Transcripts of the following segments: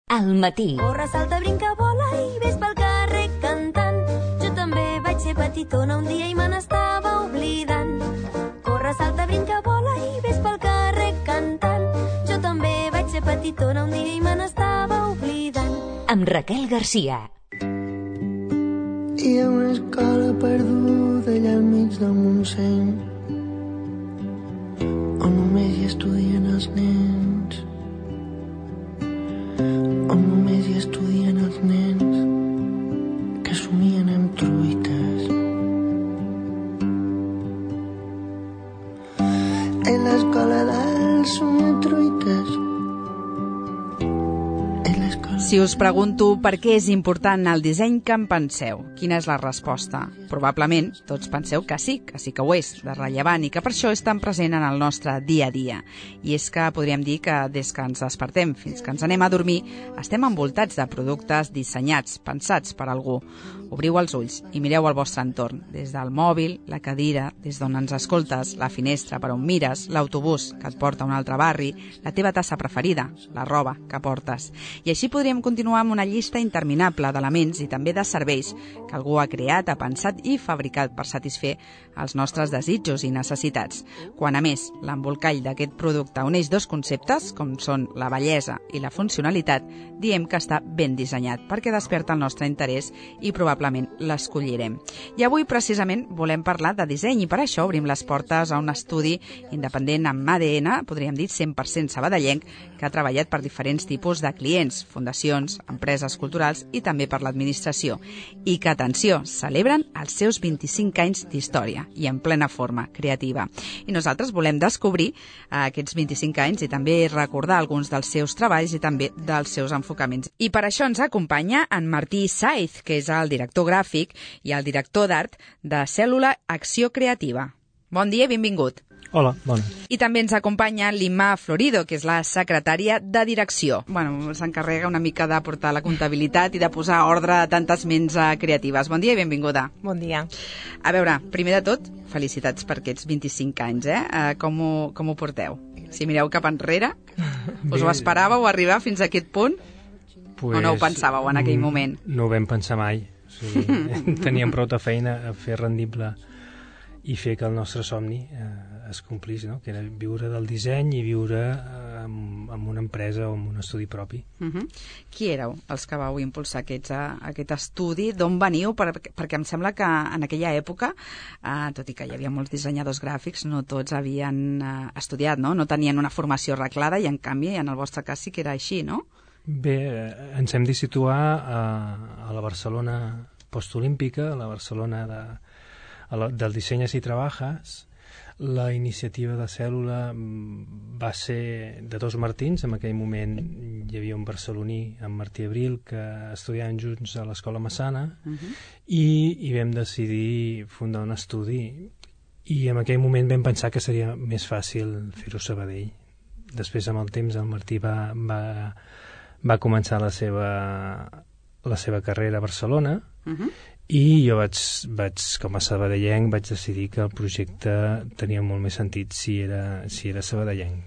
Al matí. Corre, salta, brinca, vola i ves pel carrer cantant. Jo també vaig ser petitona un dia i me n'estava oblidant. Corre, salta, brinca, vola i ves pel carrer cantant. Jo també vaig ser petitona un dia i me n'estava oblidant. Amb Raquel Garcia. Hi ha una escola perduda allà al mig del Montseny on només hi estudien els nens, on només hi estudien els nens que somien amb truites. En l'escola dels somiatruites. Si us pregunto per què és important el disseny, què en penseu? Quina és la resposta? Probablement tots penseu que sí que ho és, de rellevant, i que per això és tan present en el nostre dia a dia. I és que podríem dir que des que ens despertem fins que ens anem a dormir estem envoltats de productes dissenyats, pensats per algú. Obriu els ulls i mireu el vostre entorn, des del mòbil, la cadira, des d'on ens escoltes, la finestra per on mires, l'autobús que et porta a un altre barri, la teva tassa preferida, la roba que portes. I així podríem continuar amb una llista interminable d'elements i també de serveis que algú ha creat, ha pensat i fabricat per satisfer els nostres desitjos i necessitats. Quan, a més, l'embolcall d'aquest producte uneix dos conceptes, com són la bellesa i la funcionalitat, diem que està ben dissenyat, perquè desperta el nostre interès i probablement l'escollirem. I avui, precisament, volem parlar de disseny i per això obrim les portes a un estudi independent amb ADN, podríem dir 100% sabadellenc, que ha treballat per diferents tipus de clients, fundacions, empreses culturals i també per l'administració. I que, atenció, celebren els seus 25 anys d'història i en plena forma creativa. I nosaltres volem descobrir aquests 25 anys i també recordar alguns dels seus treballs i també dels seus enfocaments. I per això ens acompanya en Martí Saiz, que és el director gràfic i el director d'art de Cèl·lula Acció Creativa. Bon dia i benvingut. Hola, bona. I també ens acompanya l'Imma Florido, que és la secretària de direcció. S'encarrega una mica de portar la comptabilitat i de posar ordre a tantes ments creatives. Bon dia i benvinguda. Bon dia. A veure, primer de tot, felicitats per aquests 25 anys, Com ho porteu? Si mireu cap enrere, us ho esperàveu arribar fins a aquest punt? O no ho pensàveu en aquell moment? No ho vam pensar mai. O sigui, teníem prou de feina a fer rendible i fer que el nostre somni es complís, no? Que era viure del disseny i viure en una empresa o en un estudi propi. Qui éreu els que vau impulsar aquest estudi? D'on veniu? Perquè em sembla que en aquella època, tot i que hi havia molts dissenyadors gràfics, no tots havien estudiat, no? No tenien una formació arreglada i en canvi en el vostre cas sí que era així, no? Bé, ens hem de situar a la Barcelona postolímpica, a la Barcelona del disseny si trabajas. La iniciativa de Cèl·lula va ser de dos Martins. En aquell moment hi havia un barceloní, en Martí Abril, que estudiaven junts a l'Escola Massana i vam decidir fundar un estudi i en aquell moment vam pensar que seria més fàcil fer-ho a Sabadell. Després, amb el temps, el Martí va començar la seva carrera a Barcelona i jo vaig com a sabadellenc, vaig decidir que el projecte tenia molt més sentit si era sabadellenc.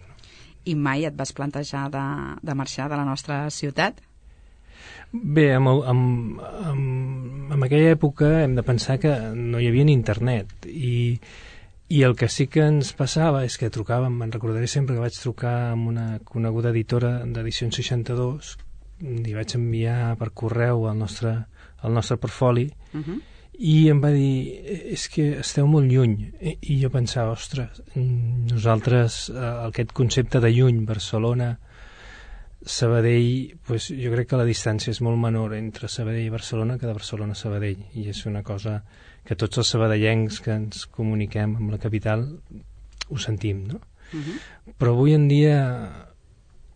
I mai et vas plantejar de marxar de la nostra ciutat? Bé, en aquella època hem de pensar que no hi havia ni internet i el que sí que ens passava és que trucàvem, me'n recordaré sempre que vaig trucar amb una coneguda editora d'Edicions 62, li vaig enviar per correu el nostre portfoli i em va dir, és que esteu molt lluny, i jo pensava, ostres, nosaltres aquest concepte de lluny, Barcelona, Sabadell, pues jo crec que la distància és molt menor entre Sabadell i Barcelona que de Barcelona a Sabadell, i és una cosa que tots els sabadellencs que ens comuniquem amb la capital ho sentim, no? Però avui en dia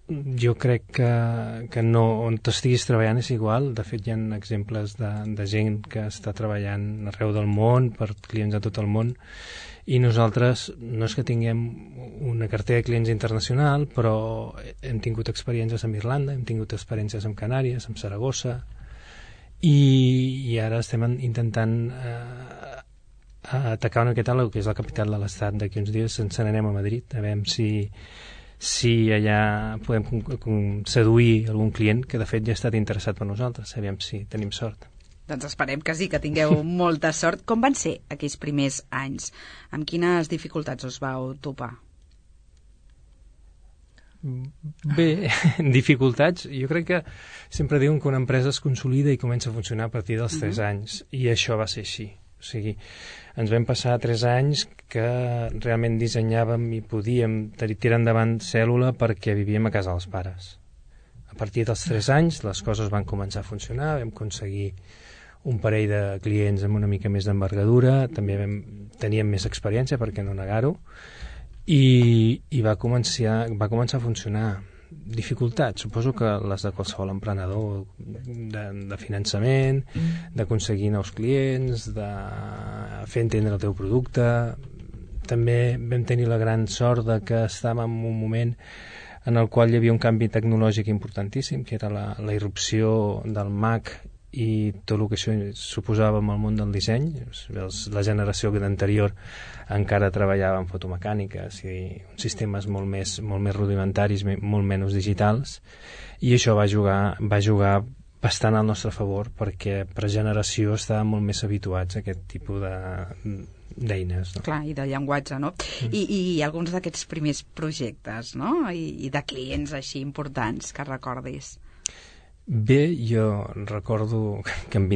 jo crec que no, on t'estiguis treballant és igual. De fet, hi ha exemples de gent que està treballant arreu del món per clients de tot el món i nosaltres no és que tinguem una cartera de clients internacional, però hem tingut experiències amb Irlanda, hem tingut experiències amb Canàries, amb Saragossa i ara estem intentant atacar una miqueta el que és la capital de l'estat. D'aquí uns dies ens n'anem a Madrid a veure si allà podem seduir algun client que de fet ja ha estat interessat per nosaltres, aviam si tenim sort. Doncs esperem que sí, que tingueu molta sort. Com van ser aquells primers anys? Amb quines dificultats us vau topar? Bé, dificultats, jo crec que sempre diuen que una empresa es consolida i comença a funcionar a partir dels 3 anys, i això va ser així. O sigui, ens vam passar 3 anys que realment dissenyàvem i podíem tirar endavant cèl·lula perquè vivíem a casa dels pares. A partir dels 3 anys les coses van començar a funcionar, vam aconseguir un parell de clients amb una mica més d'envergadura, també teníem més experiència, per què no negar-ho, i va començar a funcionar. Dificultats, suposo que les de qualsevol emprenedor, de finançament, d'aconseguir nous clients, de fer entendre el teu producte. També vam tenir la gran sort de que estàvem en un moment en el qual hi havia un canvi tecnològic importantíssim, que era la irrupció del Mac i tot el que això suposava en el món del disseny. La generació anterior encara treballava en fotomecàniques i uns sistemes molt més rudimentaris, molt menys digitals, i això va jugar bastant al nostre favor, perquè per generació estàvem molt més habituats a aquest tipus d'eines, no? Clar, i de llenguatge, no? I alguns d'aquests primers projectes, no? I de clients així importants que recordis. Bé, jo recordo que en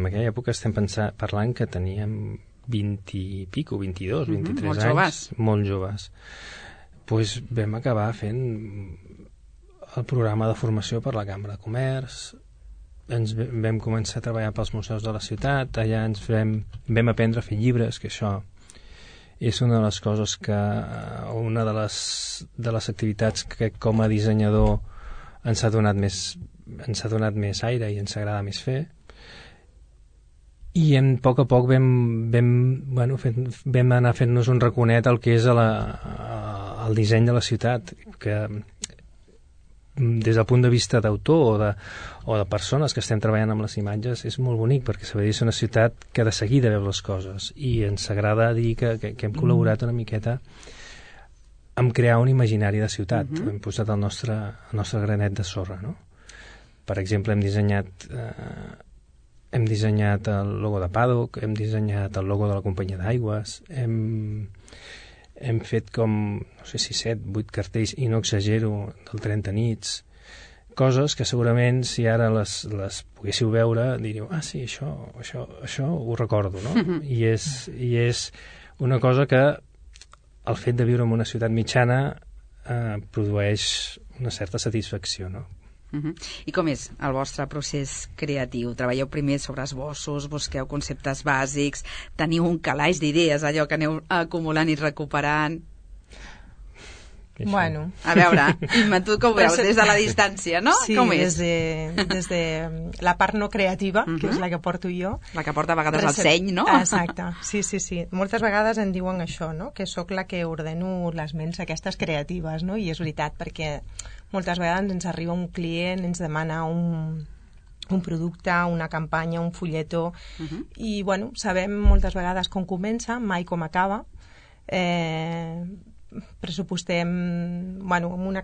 aquella època estem parlant que teníem 20 i pico, 22, 23 molt anys. joves. Molt joves. Pues vam acabar fent el programa de formació per la Cambra de Comerç, ens vam començar a treballar pels museus de la ciutat, allà vam aprendre a fer llibres, que això és una de les coses una de les activitats que com a dissenyador ens ha donat més aire i ens agrada més fer, i a poc a poc vam anar fent-nos un raconet al que és el disseny de la ciutat, que des del punt de vista d'autor o de persones que estem treballant amb les imatges és molt bonic, perquè Sabadell és una ciutat que de seguida veu les coses, i ens agrada dir que hem col·laborat una miqueta amb crear un imaginari de ciutat. Hem posat el nostre granet de sorra, no? Per exemple, hem dissenyat el logo de Paddock, hem dissenyat el logo de la companyia d'aigües, hem fet com, no sé si 7, 8 cartells, i no exagero, del 30 nits, coses que segurament si ara les poguéssiu veure diríeu, sí, això ho recordo, no? I és una cosa que el fet de viure en una ciutat mitjana produeix una certa satisfacció, no? I com és el vostre procés creatiu? Treballeu primer sobre esbossos, busqueu conceptes bàsics, teniu un calaix d'idees, allò que aneu acumulant i recuperant? Bueno. A veure, Imma, tu com ho veus des de la distància, no? Sí, com és? des de la part no creativa, que és la que porto jo. La que porta a vegades el seny, no? Exacte, sí. Moltes vegades em diuen això, no? Que sóc la que ordeno les ments aquestes creatives, no? I és veritat, perquè moltes vegades ens arriba un client, ens demana un producte, una campanya, un fulletó, i bueno, sabem moltes vegades com comença, mai com acaba. Pressupostem, bueno, una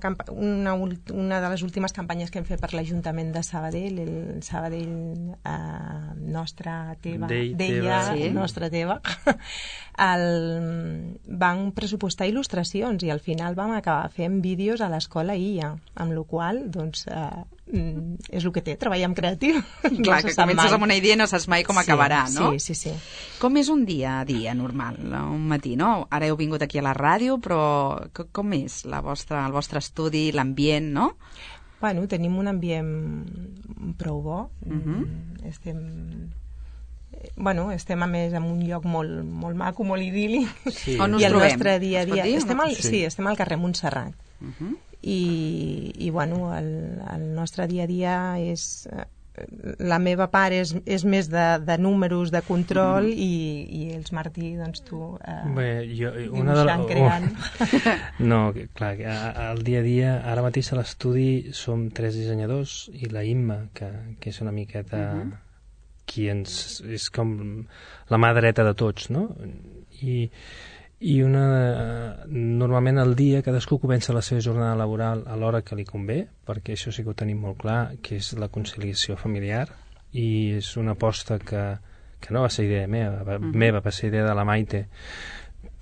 de les últimes campanyes que hem fet per l'Ajuntament de Sabadell, el Sabadell nostra teva, nostra teva, van pressupostar il·lustracions, i al final vam acabar fent vídeos a l'escola IA, amb la qual doncs és el que té, treballar amb creatiu. Clar, que comences amb una idea i no saps mai com acabarà, no? Sí. Com és un dia a dia normal, un matí, no? Ara heu vingut aquí a la ràdio, però com és el vostre estudi, l'ambient, no? Bueno, tenim un ambient prou bo. Estem a més en un lloc molt maco, molt idíl·lic. Sí. On us trobem? I el nostre dia a dia... Estem al carrer Montserrat. I bueno, el nostre dia a dia és... La meva part és més de números, de control, i els Martí, doncs tu dibuixant, creant. No, clar, el dia a dia, ara mateix a l'estudi som 3 dissenyadors, i la Imma, que és una miqueta qui és com la mà dreta de tots, no? i normalment al dia cadascú comença la seva jornada laboral a l'hora que li convé, perquè això sí que ho tenim molt clar, que és la conciliació familiar, i és una aposta que no va ser idea meva, va ser idea de la Maite,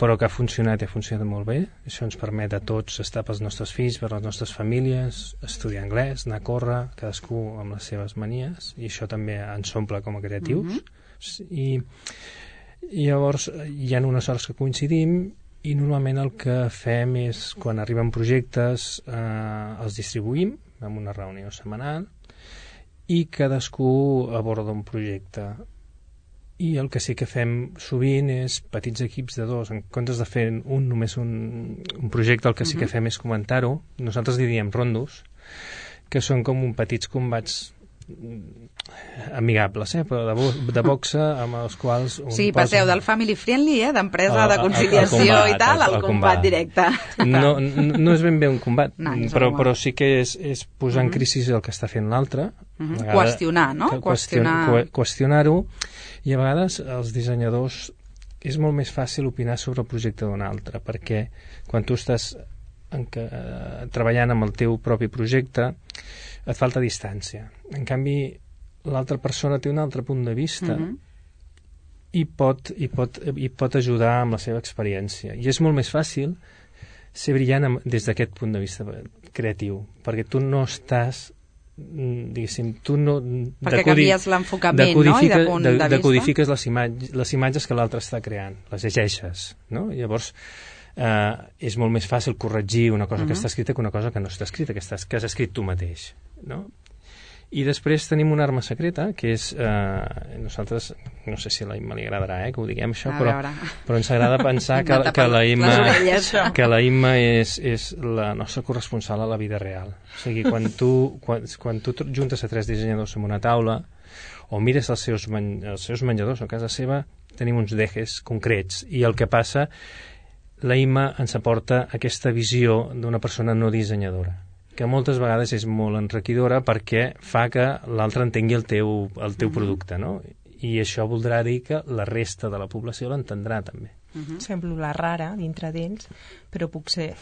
però que ha funcionat i ha funcionat molt bé. Això ens permet a tots estar pels nostres fills, per les nostres famílies, estudiar anglès, anar a córrer, cadascú amb les seves manies, i això també ens omple com a creatius. I llavors hi ha unes hores que coincidim, i normalment el que fem és, quan arriben projectes, els distribuïm en una reunió setmanal, i cadascú aborda un projecte. I el que sí que fem sovint és petits equips de 2, en comptes de fer només un projecte, el que sí que fem és comentar-ho. Nosaltres diríem rondos, que són com petits combats amigables, però de boxa, amb els quals... Sí, passeu del family friendly, d'empresa, de conciliació i tal, al combat directe. No és ben bé un combat, però sí que és posar en crisi el que està fent l'altre. Qüestionar, no? Qüestionar-ho. I a vegades els dissenyadors és molt més fàcil opinar sobre el projecte d'un altre, perquè quan tu estàs treballant amb el teu propi projecte et falta distància. En canvi, l'altra persona té un altre punt de vista i pot ajudar amb la seva experiència. I és molt més fàcil ser brillant des d'aquest punt de vista creatiu, perquè tu no estàs, diguéssim, tu no... Perquè canvies l'enfocament, no?, i de punt de vista. Decodifiques les imatges que l'altre està creant, les llegeixes, no? Llavors, és molt més fàcil corregir una cosa que està escrita que una cosa que no està escrita, que has escrit tu mateix, no? I després tenim una arma secreta, que és... nosaltres, no sé si a la Imma li agradarà que ho diguem això, però ens agrada pensar que la Imma és la nostra corresponsal a la vida real. O sigui, quan tu juntes a 3 dissenyadors en una taula o mires els seus menjadors a casa seva, tenim uns dejes concrets, i el que passa, la Imma ens aporta aquesta visió d'una persona no dissenyadora, que moltes vegades és molt enriquidora perquè fa que l'altre entengui el teu producte, no? I això voldrà dir que la resta de la població l'entendrà també. Semblo la rara dintre d'ells, però puc ser...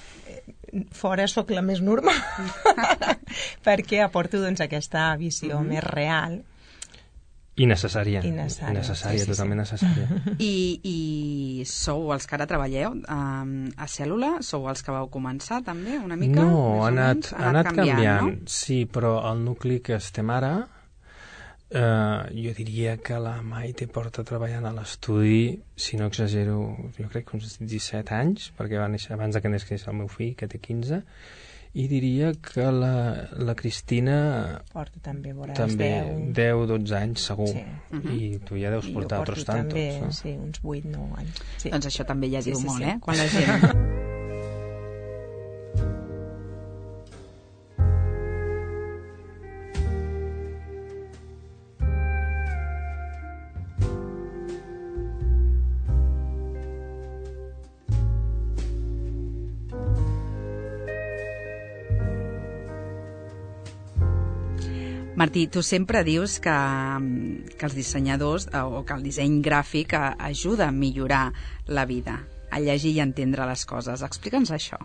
Fora sóc la més normal, perquè aporto aquesta visió més real. I necessària, totalment necessària. I sou els que ara treballeu a Cèl·lula? Sou els que vau començar també una mica? No, ha anat canviant, no? Sí, però el nucli que estem ara, jo diria que la Maite porta treballant a l'estudi, si no exagero, jo crec que uns 17 anys, perquè va néixer abans que nasqués el meu fill, que té 15, i diria que la Cristina porta també 10-12 anys segur, i tu ja deus portar altres tantos, també, no? Sí, uns 8-9 anys. Sí. Doncs això també ja diu molt, quan la gent... Martí, tu sempre dius que els dissenyadors o que el disseny gràfic ajuda a millorar la vida, a llegir i entendre les coses. Explica'ns això.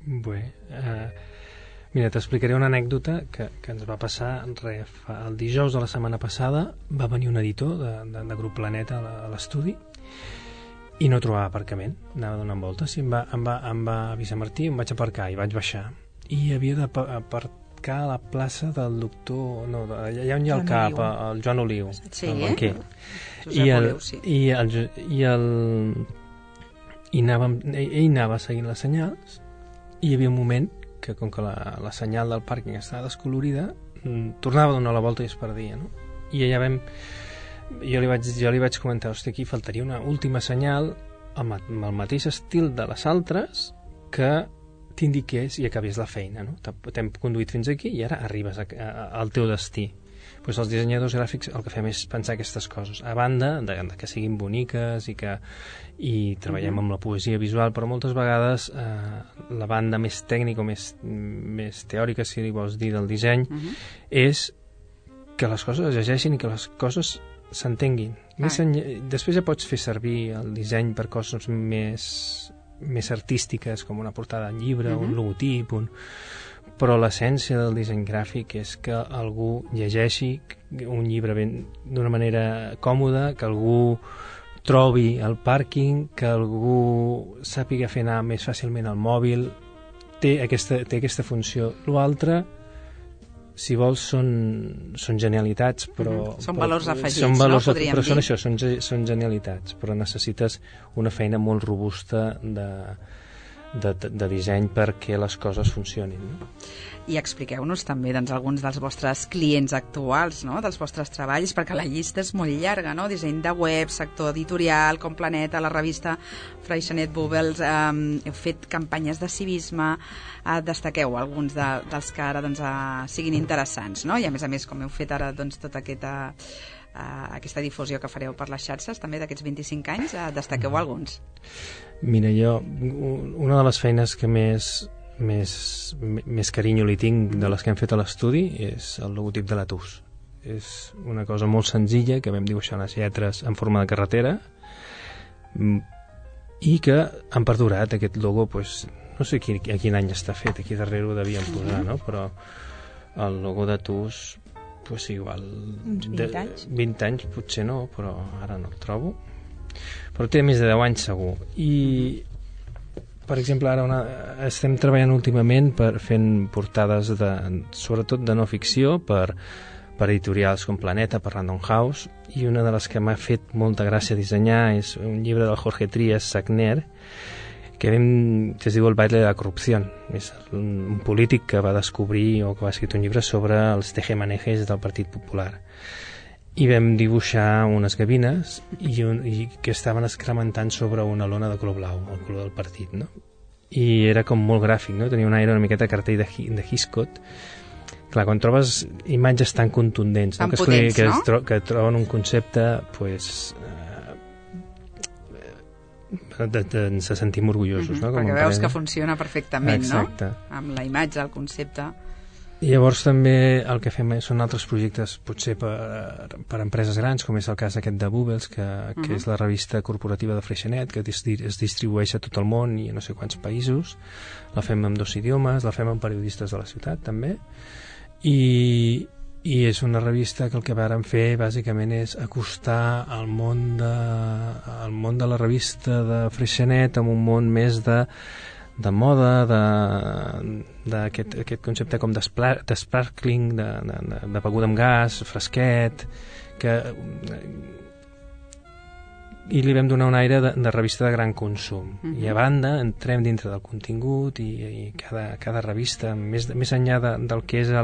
Bé, mira, t'explicaré una anècdota que ens va passar el dijous de la setmana passada. Va venir un editor de Grup Planeta a l'estudi i no trobava aparcament, anava donant voltes i em va avisar Martí, em vaig aparcar i vaig baixar i havia d'aparcar a la plaça del doctor... No, allà on hi ha el CAP, el Joan Oliu, el banquer. Ell anava seguint les senyals i hi havia un moment que, com que la senyal del pàrquing estava descolorida, tornava a donar la volta i es perdia, no? I allà jo li vaig comentar, hosti, aquí faltaria una última senyal amb el mateix estil de les altres que t'indiqués i acabés la feina, no? T'hem conduït fins aquí i ara arribes al teu destí. Doncs els dissenyadors gràfics el que fem és pensar aquestes coses, a banda de que siguin boniques i treballem amb la poesia visual, però moltes vegades la banda més tècnica o més teòrica, si li vols dir, del disseny, és que les coses es llegeixin i que les coses s'entenguin. Després ja pots fer servir el disseny per coses més artístiques, com una portada de llibre, un logotip, però l'essència del disseny gràfic és que algú llegeixi un llibre d'una manera còmoda, que algú trobi el pàrquing, que algú sàpiga fer anar més fàcilment el mòbil. Té aquesta funció. L'altre, si vols, són genialitats, però... Són valors afegits, podríem dir. Però són això, són genialitats, però necessites una feina molt robusta de disseny perquè les coses funcionin. No? I expliqueu-nos també alguns dels vostres clients actuals, no? Dels vostres treballs, perquè la llista és molt llarga, no? Disseny de web, sector editorial, com Planeta, la revista Freixenet Bubbles, heu fet campanyes de civisme, destaqueu alguns dels que ara siguin interessants, no? I a més, com heu fet ara tota aquesta difusió que fareu per les xarxes, també d'aquests 25 anys, destaqueu alguns. Mira, jo, una de les feines que més carinyo li tinc de les que hem fet a l'estudi és el logotip de l'Atus. És una cosa molt senzilla que vam dibuixar unes lletres en forma de carretera i que han perdurat. Aquest logo, no sé a quin any està fet, aquí darrere ho devien posar, no? Però el logo d'Atus, igual... Uns 20 anys? 20 anys potser no, però ara no el trobo. Però té més de 10 anys segur. I, per exemple, ara estem treballant últimament fent portades sobretot de no ficció per editorials com Planeta, per Random House, i una de les que m'ha fet molta gràcia dissenyar és un llibre del Jorge Trías Sagner que es diu El baile de la corrupció. És un polític que va descobrir o que va escriure un llibre sobre els tejemanejes del Partit Popular. I vam dibuixar unes gavines i que estaven excrementant sobre una lona de color blau, el color del partit, no? I era com molt gràfic, no? Tenia un aire una miqueta cartell de Hitchcock. Clar, quan trobes imatges tan contundents, tan potents, no? Que troben un concepte, ens sentim orgullosos, no? Perquè veus que funciona perfectament, exacte, no? Amb la imatge, el concepte... I llavors també el que fem són altres projectes potser per empreses grans, com és el cas aquest de Bubbles, que és la revista corporativa de Freixenet, que es distribueix a tot el món i a no sé quants països. La fem en 2 idiomes, la fem amb periodistes de la ciutat també, i és una revista que el que vàrem fer bàsicament és acostar el món de la revista de Freixenet amb un món més de moda, d'aquest concepte com d'sparkling, de beguda amb gas, fresquet, i li vam donar un aire de revista de gran consum. I a banda entrem dintre del contingut i cada revista, més enllà del que és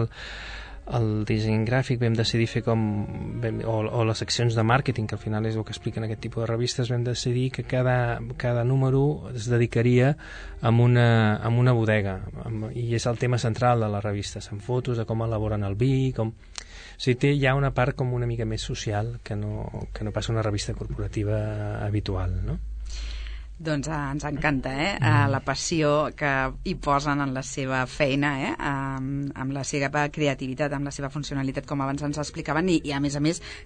el disseny gràfic, vam decidir fer o les seccions de màrqueting, que al final és el que expliquen aquest tipus de revistes. Vam decidir que cada número es dedicaria a una bodega, i és el tema central de la revista. Són fotos de com elaboren el vi, o sigui, hi ha una part com una mica més social que no passa una revista corporativa habitual, no? Doncs ens encanta, la passió que hi posen en la seva feina, amb la seva creativitat, amb la seva funcionalitat, com abans ens explicaven, i a més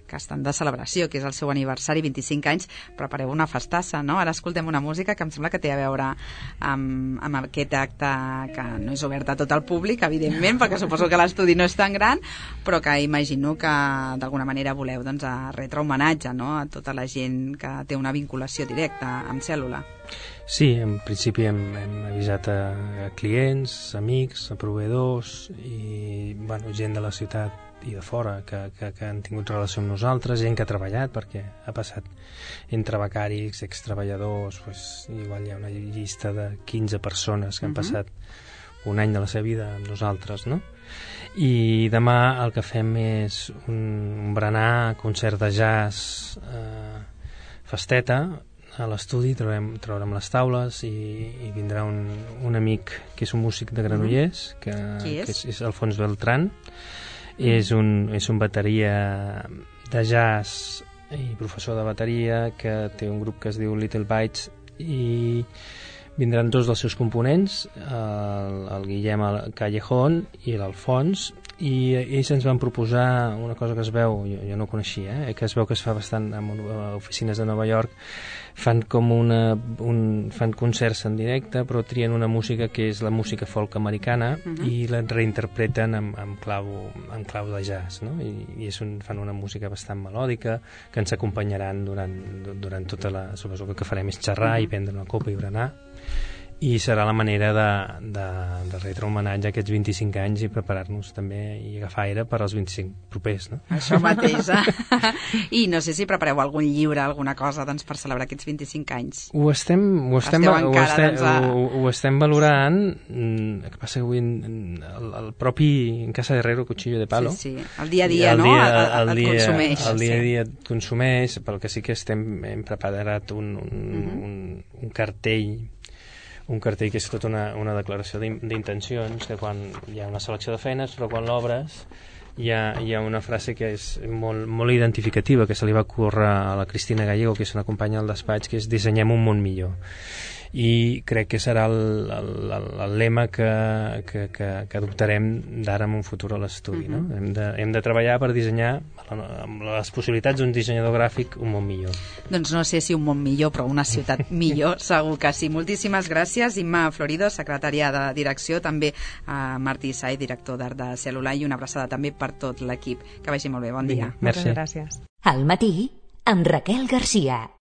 que estan de celebració, que és el seu aniversari, 25 anys, prepareu una festassa, no? Ara escoltem una música que em sembla que té a veure amb aquest acte que no és obert a tot el públic, evidentment, perquè suposo que l'estudi no és tan gran, però que imagino que d'alguna manera voleu retre homenatge, no?, a tota la gent que té una vinculació directa amb Cèl·lula. Sí, en principi hem avisat a clients, amics, a proveïdors i gent de la ciutat i de fora que han tingut relació amb nosaltres, gent que ha treballat, perquè ha passat entre becaris, extreballadors, igual hi ha una llista de 15 persones que han passat un any de la seva vida amb nosaltres, no? I demà el que fem és un berenar, concert de jazz, festeta. A l'estudi traurem les taules i vindrà un amic que és un músic de Granollers, que és Alfons Beltrán. És un bateria de jazz i professor de bateria que té un grup que es diu Little Bites, i vindran 2 dels seus components, el Guillem Callejón i l'Alfons, i ells ens van proposar una cosa que es veu, jo no ho coneixia, que es veu que es fa bastant a oficines de Nova York. Fan com fan concerts en directe, però trien una música que és la música folk americana i la reinterpreten amb clau de jazz, no? I fan una música bastant melòdica que ens acompanyaran durant tota la... Suposo que farem és xerrar i prendre una copa i berenar, i serà la manera de retre homenatge a aquests 25 anys i preparar-nos també i agafar aire per als 25 propers, no? Això mateix, I no sé si prepareu algun llibre, alguna cosa, doncs, per celebrar aquests 25 anys. Ho estem valorant. El que passa que avui el propi en Casa de Herrero, Cuchillo de Palo, sí. El dia a dia, no? El consumeix. El dia a dia et consumeix, pel que sí que hem preparat un cartell que és tota una declaració d'intencions, que quan hi ha una selecció de feines, però quan l'obres hi ha una frase que és molt identificativa, que se li va ocórrer a la Cristina Gallego, que és una companya del despatx, que és dissenyem un món millor. I crec que serà el lema que adoptarem d'ara en un futur a l'estudi, no? Hem de treballar per dissenyar, amb les possibilitats d'un dissenyador gràfic, un món millor. Doncs no sé si un món millor, però una ciutat millor, segur que sí. Moltíssimes gràcies, Imma Florido, secretària de direcció, també a Martí Sai, director d'Art de Cèl·lula, i una abraçada també per tot l'equip. Que vagi molt bé, bon dia. Merci. Moltes gràcies. Al matí, amb Raquel Garcia.